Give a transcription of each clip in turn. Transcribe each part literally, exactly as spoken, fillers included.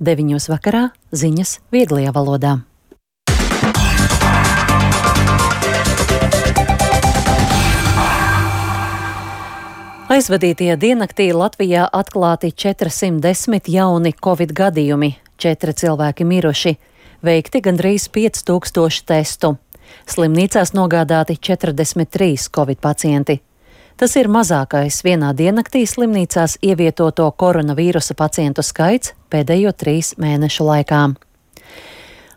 Deviņos vakarā ziņas vieglajā valodā. Aizvadītajā diennaktī Latvijā atklāti četrsimt desmit jauni covid gadījumi, četri cilvēki miruši, veikti gandrīz pieci tūkstoši testu. Slimnīcās nogādāti četrdesmit trīs covid pacienti. Tas ir mazākais vienā diennaktī slimnīcās ievietoto koronavīrusa pacientu skaits pēdējo trīs mēnešu laikā.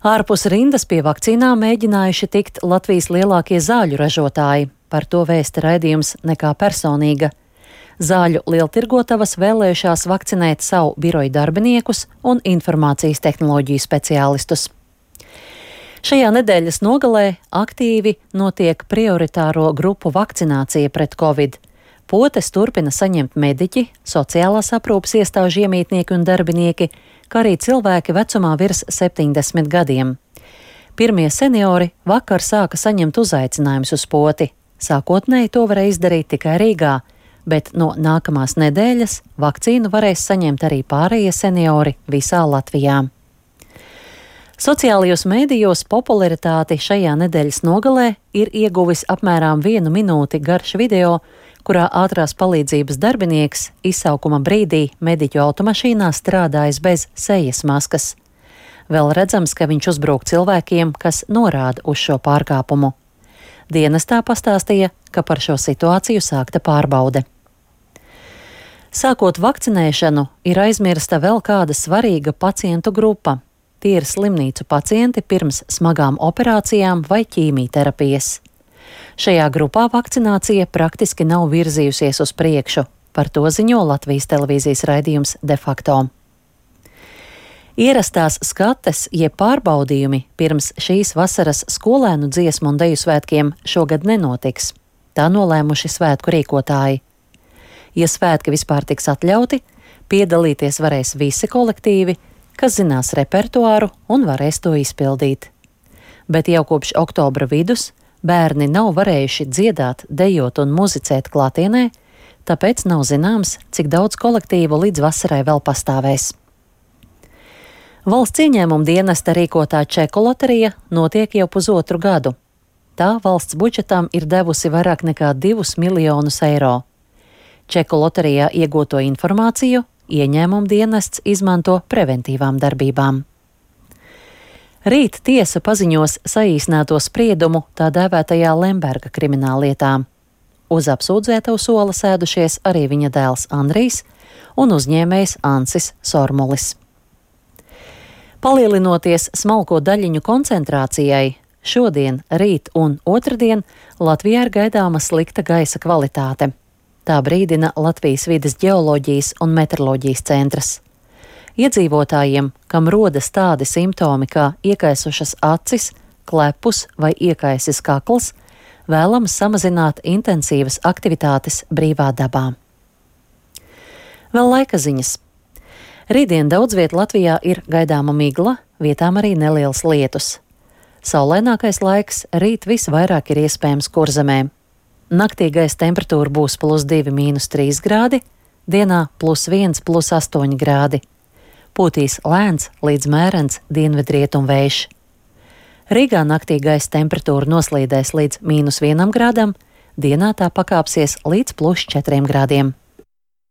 Ārpus rindas pie vakcīnām mēģinājuši tikt Latvijas lielākie zāļu ražotāji, par to vēsta raidījums Nekā personīga. Zāļu lieltirgotavas vēlējušās vakcinēt savu biroju darbiniekus un informācijas tehnoloģiju speciālistus. Šajā nedēļas nogalē aktīvi notiek prioritāro grupu vakcinācija pret covid. Potes turpina saņemt mediķi, sociālās aprūpes iestāžu iemītnieki un darbinieki, kā arī cilvēki vecumā virs septiņdesmit gadiem. Pirmie seniori vakar sāka saņemt uzaicinājumus uz poti. Sākotnēji to varēja izdarīt tikai Rīgā, bet no nākamās nedēļas vakcīnu varēs saņemt arī pārējie seniori visā Latvijā. Sociālajos mēdījos popularitāti šajā nedēļas nogalē ir ieguvis apmēram vienu minūti garš video, kurā ātrās palīdzības darbinieks izsaukuma brīdī mediķu automašīnā strādājas bez sejas maskas. Vēl redzams, ka viņš uzbrūk cilvēkiem, kas norāda uz šo pārkāpumu. Dienestā pastāstīja, ka par šo situāciju sākta pārbaude. Sākot vakcinēšanu, ir aizmirsta vēl kāda svarīga pacientu grupa. Tie ir slimnīcu pacienti pirms smagām operācijām vai ķīmijterapijas. Šajā grupā vakcinācija praktiski nav virzījusies uz priekšu, par to ziņo Latvijas televīzijas raidījums De facto. Ierastās skates, jeb pārbaudījumi pirms šīs vasaras skolēnu dziesmu un deju svētkiem šogad nenotiks. Tā nolēmuši svētku rīkotāji. Ja svētki vispār tiks atļauti, piedalīties varēs visi kolektīvi, kas zinās repertuāru un varēs to izpildīt. Bet jau kopš oktobra vidus bērni nav varējuši dziedāt, dejot un muzicēt klātienē, tāpēc nav zināms, cik daudz kolektīvu līdz vasarai vēl pastāvēs. Valsts ieņēmuma dienesta rīkotā čeku loterija notiek jau pusotru gadu. Tā valsts budžetam ir devusi vairāk nekā divus miljonus eiro. Čeku loterijā iegūto informāciju ieņēmuma dienests izmanto preventīvām darbībām. Rīt tiesa paziņos saīsināto spriedumu tā dēvētajā Lemberga krimināllietā. Uz apsūdzēto sola sēdušies arī viņa dēls Andrijs un uzņēmējs Ansis Sormulis. Palielinoties smalko daļiņu koncentrācijai, šodien, rīt un otrdien Latvijā ir gaidāma slikta gaisa kvalitāte. Tā brīdina Latvijas vides ģeoloģijas un meteoroloģijas centrs. Iedzīvotājiem, kam rodas tādi simptomi kā iekaisušas acis, klepus vai iekaisis kakls, vēlams samazināt intensīvas aktivitātes brīvā dabā. Vēl laika ziņas. Rītdien daudz viet Latvijā ir gaidāma migla, vietām arī nelielas lietus. Saulainākais laiks rīt visvairāk ir iespējams Kurzemē. Naktī gaisa temperatūra būs plus divi mīnus trīs grādi, dienā plus viens plus astoņi grādi. Pūtīs lēns līdz mērens dienvidrietumu vējš. Rīgā naktī gaisa temperatūra noslīdēs līdz mīnus vienam grādam, dienā tā pakāpsies līdz plus četriem grādiem.